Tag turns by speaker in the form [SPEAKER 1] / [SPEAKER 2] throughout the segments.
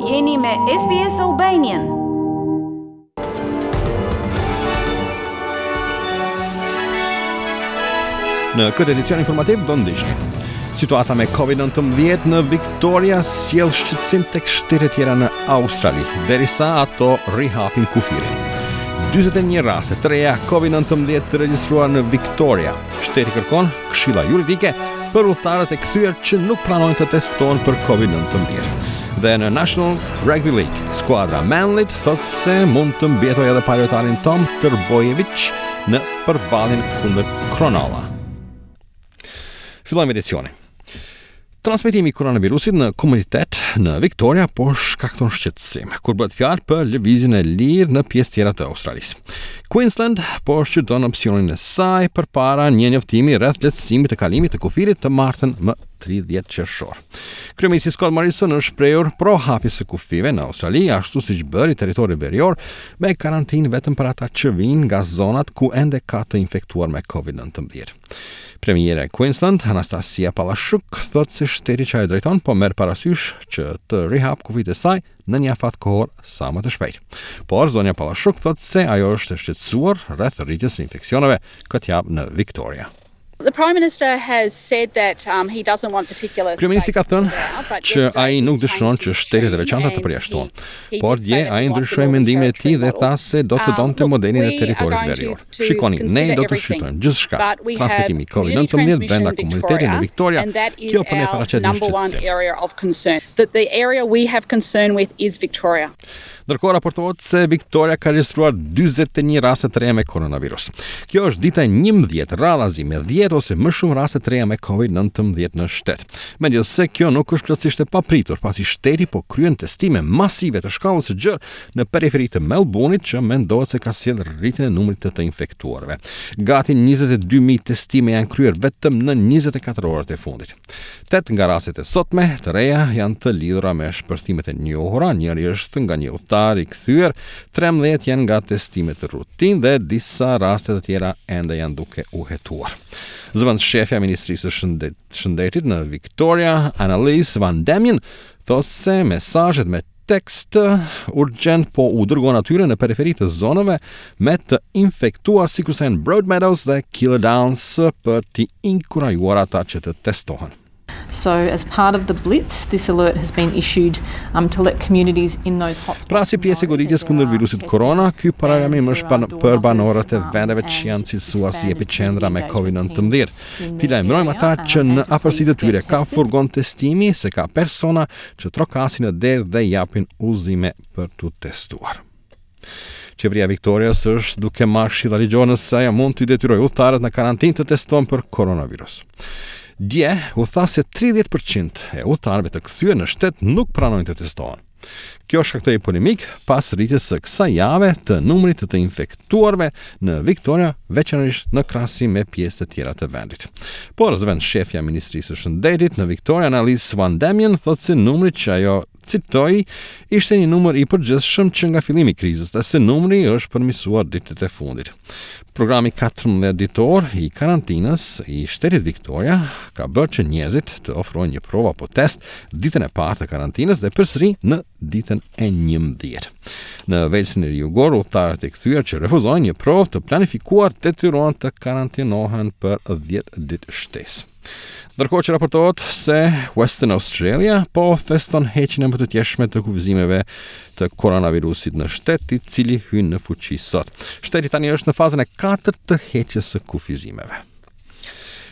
[SPEAKER 1] Jeni me SBS Albanian.
[SPEAKER 2] Në këtë edicion informativ do ndiqni. Situata me COVID-19 në Victoria sjell shqetësim tek shtetet tjera në Australi, derisa ato rihapin kufirin. 41 raste të reja COVID-19 të regjistruar në Victoria. Shteti kërkon këshilla juridike për udhëtarët e kthyer që nuk pranojnë të testohen për COVID-19. Dhe në National Rugby League, skuadra Manly thotë se mund të mbijetojë edhe pa lojtarin Tom Trbojevic në përballjen kundër Cronulla. Fillojmë edicionin. Transmetimi i koronavirusit në komunitet në Victoria po shkakton shqetësim, kur bëhet fjalë për lëvizjen e lirë në pjesë tjera të Australisë. Queensland po shqyrton opsionin e saj përpara një njoftimi rreth lehtësimit të kalimit të kufirit të martën më 30 qershor. Kryeministri Scott Morrison është shprehur pro hapjes së kufijve në Australi, ashtu siç bëri territori verior me karantinë vetëm për ata që vijnë nga zonat ku ende ka të infektuar me COVID-19. Premierja e Queensland, Anastasia Palaszczuk, thotë se shteti që ajo drejton po merr parasysh që të rihap kufijtë e saj në një afat kohor sa më të shpejtë. Por zonja Palaszczuk thotë se ajo është e shqetësuar rreth rritjes së infeksioneve këtë javë në Victoria.
[SPEAKER 3] The Prime Minister has said that um, he doesn't want particular
[SPEAKER 2] Kryeministri ka thënë që ai nuk dëshiron që shtetet e veçanta të përjashtohen. Por dje ai ndryshoi mendimin e tij dhe tha se do të um, donte modelin e territorit verior. Shikoni, ne do të shqyrtojmë gjithçka. Transmetimi i COVID-19 brenda komunitetit në Victoria, kjo për ne paraqet një shqetësim. Ndërkohë raportohet se Victoria ka regjistruar 41 raste të reja me koronavirus. Kjo është dita e 11 radhazi me 10 ose më shumë raste të reja me COVID-19 në shtet. Megjithëse kjo nuk është plotësisht e papritur, pasi shteti po kryen testime masive të shkallës së gjerë në periferi të Melbourne-it që mendohet se ka sjellë rritjen e numrit të të infektuarve. Gati 22.000 testime janë kryer vetëm në 24 orët e fundit. Tetë nga rastet e sotme të reja janë të lidhura me shpërthimet e njohura, njëri është nga një udhëtar i kthyer, 13 janë nga testimet rutinë dhe disa raste të tjera ende janë duke u hetuar. Zëvendësshefja e Ministrisë së Shëndet Shëndetit në Victoria, Annalise Van Demien, thotë se mesazhet me tekst urgjent po u dërgon atyre në periferi të zonave me të infektuar sikurse janë Broadmeadows dhe Keilor Downs për t'i inkurajuar ata që të testohen.
[SPEAKER 4] So as part of the blitz, this alert has been issued um, to let communities in those hotspots.
[SPEAKER 2] Pra si pjesë e goditjes kundër virusit korona, ky paralajmërim është pan, për banorët e vendeve që janë cilësuar si epiqendra me COVID-19. T'i lajmërojmë ata që në afërsi të tyre ka furgon testimi se ka persona që trokasin në derë dhe japin udhëzime për t'u testuar. Qeveria e Victorias është duke marrë këshilla ligjore nëse ajo mund t'i detyrojë udhëtarët në karantinë të testohen për koronavirus. Dje u tha se 30% e udhëtarëve të kthyer në shtet nuk pranojnë të testohen. Kjo shkaktoi polemikë pas rritjes së kësaj jave të numrit të të infektuarve në Victoria, veçanërisht në krahasim me pjesë të tjera të vendit. Por zëvendësshefja e Ministrisë së Shëndetit në Victoria, Annalise Van Demien, thotë se numri që ajo citoi ishte një numër i përgjithshëm që nga fillimi i krizës dhe se numri është përmirësuar ditët e fundit. Programi 14 ditor i karantinës i shtetit Victoria ka bërë që njerëzit të ofrojnë një provë apo test ditën e parë të karantinës dhe përsëri në ditën e 11. Në Velsin e Ri Jugor, udhëtarët e kthyer që refuzojnë një provë të planifikuar detyrohen të karantinohen për 10 ditë shtesë. Ndërkohë që raportohet se Western Australia po feston heqjen e mëtutjeshme të kufizimeve të koronavirusit në shtet, i cili hyn në fuqi sot. Shteti tani është në fazën e katërt të heqjes së kufizimeve.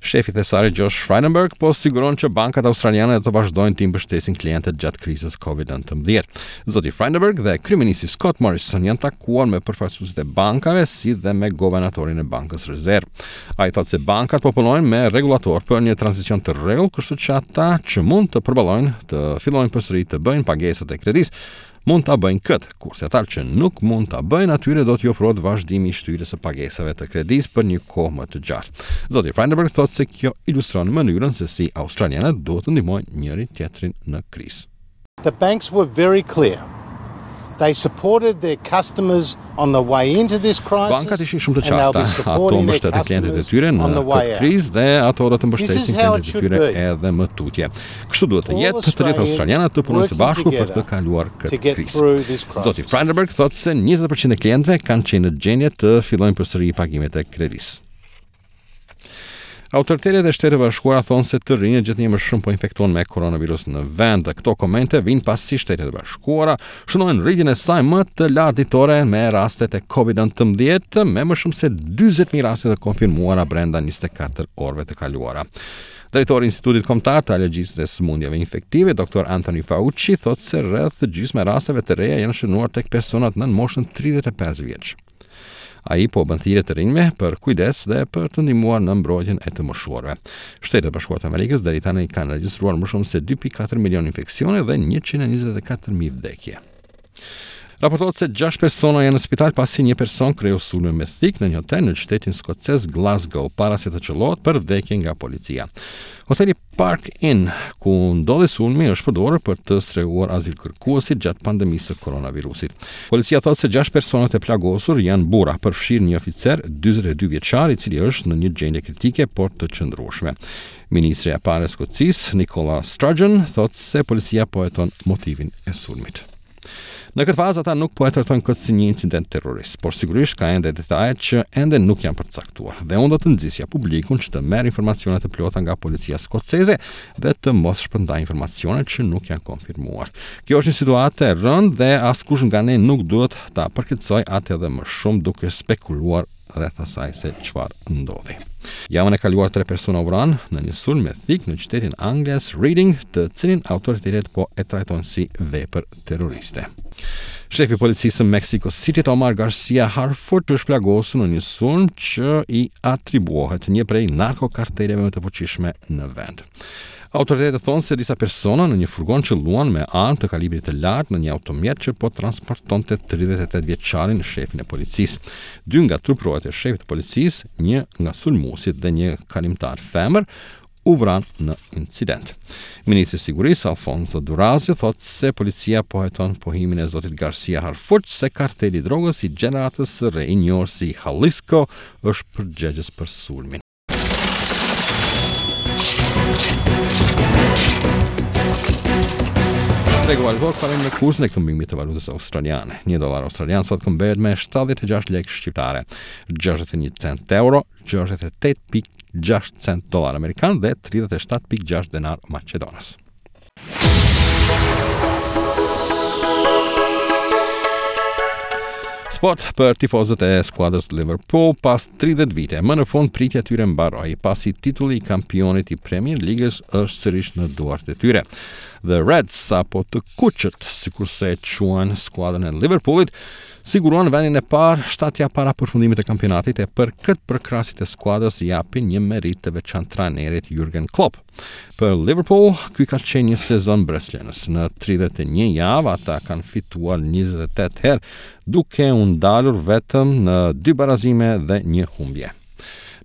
[SPEAKER 2] Shefi i thesarit Josh Frydenberg po siguron që bankat australiane do të vazhdojnë të mbështesin klientët gjatë krizës COVID-19. Zoti Frydenberg dhe kryeministri Scott Morrison janë takuar me përfaqësuesit e bankave si dhe me guvernatorin e Bankës Rezervë. Ai thotë se bankat po punojnë me rregullator për një tranzicion të rregullt, kështu që ata që mund të përballojnë të fillojnë përsëri të bëjnë pagesat e kredisë, mund ta bëjnë këtë, kurse ata që nuk mund ta bëjnë, atyre do t'i ofrohet vazhdimi i shtyrjes së pagesave të kredisë për një kohë më të gjatë. Zoti Frydenberg thotë se kjo ilustron mënyrën se si australianët duhet të ndihmojnë njëri tjetrin në krizë.
[SPEAKER 5] The banks were very clear. They supported their customers on the way into this crisis.
[SPEAKER 2] Bankat ishin shumë të qarta. Ato mbështetën klientët e tyre në këtë krizë dhe ato do të mbështesin klientët e tyre edhe më tutje. Kështu duhet të jetë, të gjithë australianët të punojnë së bashku për të kaluar këtë krizë. Zoti Frydenberg thotë se 20% e klientëve kanë qenë në gjendje të fillojnë përsëri pagimet e kredisë. Autoritetet e Shteteve të Bashkuara thonë se të rinjtë gjithnjë më shumë po infektohen me koronavirus në vend. Këto komente vijnë pasi Shtetet e Bashkuara shënojnë rritjen e saj më të lartë ditore me rastet e COVID-19, me më shumë se 40.000 raste të konfirmuara brenda 24 orëve të kaluara. Drejtori i Institutit Kombëtar të Alergjisë dhe Sëmundjeve Infektive, Dr. Anthony Fauci, thotë se rreth gjysma e rasteve të reja janë shënuar tek personat nën moshën 35 vjeç. Ai po bën thirrje të rinjve për kujdes dhe për të ndihmuar në mbrojtjen e të moshuarve. Shtetet e Bashkuara të Amerikës deri tani kanë regjistruar më shumë se 2.4 milion infeksione dhe 124.000 vdekje. Raportohet se 6 persona janë në spital pasi një person kreu sulme me thikë në një hotel në qytetin skocez Glasgow para se të qëllohet për vdekje nga policia. Hoteli Park Inn, ku ndodhi sulmi, është përdorur për të strehuar azilkërkuesit gjatë pandemisë së koronavirusit. Policia thotë se 6 personat e plagosur janë burra, përfshirë një oficer 42 vjeçar i cili është në një gjendje kritike por të qëndrueshme. Ministrja e parë e Skocisë, Nicola Sturgeon, thotë se policia po heton motivin e sulmit. Në këtë fazë ata nuk po e trajtojnë këtë si një incident terrorist, por sigurisht ka ende detaje që ende nuk janë përcaktuar. Dhe unë do të nxisja publikun që të merr informacione të plota nga policia skoceze dhe të mos shpërndajë informacione që nuk janë konfirmuar. Kjo është një situatë e rëndë dhe askush nga ne nuk duhet ta përkeqësojë atë edhe më shumë duke spekuluar rreth asaj se çfarë ndodhi. Javën e kaluar tre persona u vranë në një sulm me thikë në qytetin anglez Reading, të cilin autoritetet po e trajtojnë si vepër terroriste. Shefi i policisë së Mexico City, Omar Garcia Harfuch, është plagosur në një sulm që i atribuohet një prej narkokarteleve më të fuqishme në vend. Autoritetet thonë se disa persona në një furgon qëlluan me armë të kalibrit të lartë në një automjet që po transportonte 38 vjeçarin shefin e policisë. Dy nga truprojat e shefit të policisë, një nga sulmuesit dhe një kalimtar femër u vranë në incident. Ministri i Sigurisë Alfonso Durazo thotë se policia po heton pohimin e zotit Garcia Harfuch se karteli i drogës i gjeneratës së re i njohur si Jalisco është përgjegjës për sulmin. Tregu valutor kalojmë në kursin e këmbimit të valutës australiane. Një dollar australian sot këmbehet me 76 lekë shqiptare, 61 cent euro, 68.6 cent dollar amerikan dhe 37.6 denar maqedonas. Sport për tifozët e skuadrës Liverpool pas 30 vite. Më në fund pritja e tyre mbaroi, pasi titulli i kampionit i Premier Ligës është sërish në duart e tyre. The Reds apo të kuqët, sikurse e quajnë skuadrën e Liverpoolit, siguruan vendin e parë 7 javë para përfundimit të kampionatit e për këtë përkrahësit e skuadrës i japin një meritë të veçantë trajnerit Jurgen Klopp. Për Liverpool, ky ka qenë një sezon mbresëlënës. Në 31 javë ata kanë fituar 28 herë, duke u ndalur vetëm në dy barazime dhe një humbje.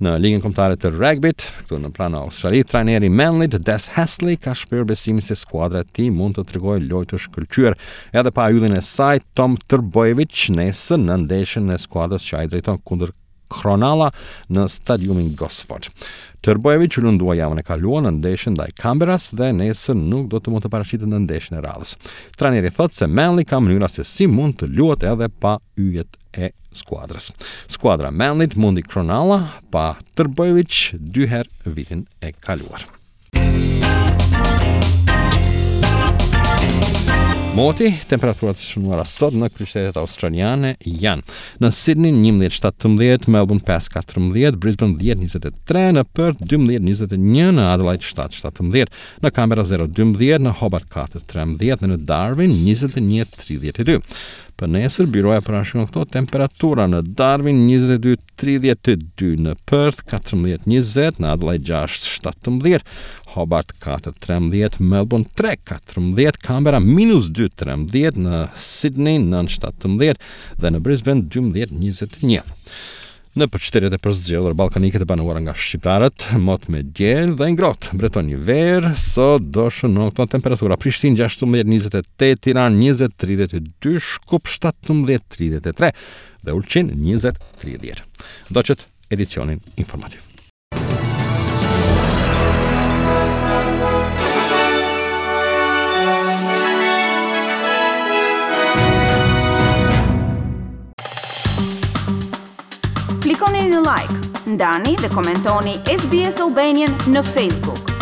[SPEAKER 2] Në Ligën Kombëtare të Rugbyt, këtu në pranë Australi, trajneri i Manlyt, Des Hasler, ka shprehur besimin se skuadra e tij mund të tregojë lojë të shkëlqyer edhe pa yllin e saj, Tom Trbojevic, nesër në ndeshjen e skuadrës që ai drejton kundër Cronulla në stadiumin Gosford. Trbojevic u lëndua javën e kaluar në ndeshjen ndaj Canberras dhe nesër nuk do të mund të paraqitet në ndeshjen e radhës. Trajneri thotë se Manly ka mënyra se si mund të luhet edhe pa yjet e skuadrës. Skuadra e Manlyt mundi Cronulla pa Trbojevic dy herë vitin e kaluar. Moti, temperaturat e shënuara sot në kryeqytetet australiane janë në Sydney 11.17, Melbourne 5.14, Brisbane 10.23, në Perth 12.21, në Adelaide 7.17, në Canberra 0.12, në Hobart 4.13 dhe në Darwin 21.32. Për nesër, byroja parashikon këto temperatura në Darwin 22 32 në Perth, 14 20 në Adelaide 6 17, Hobart 4 13, Melbourne 3 14, Canberra minus 2 13, në Sydney 9 17 dhe në Brisbane 12 21. Nëpër qytetet e përzgjedhura ballkanike të banuara nga shqiptarët, mot me diell dhe i ngrohtë. Mbretëron një verë, sot do shënohen këto temperatura. Prishtinë 16 28, Tiranë 20 32, Shkup 17 33 dhe Ulqin 20 30. Ndoqët edicionin informativ.
[SPEAKER 1] Klikoni në like, ndani dhe komentoni SBS Albanian në Facebook.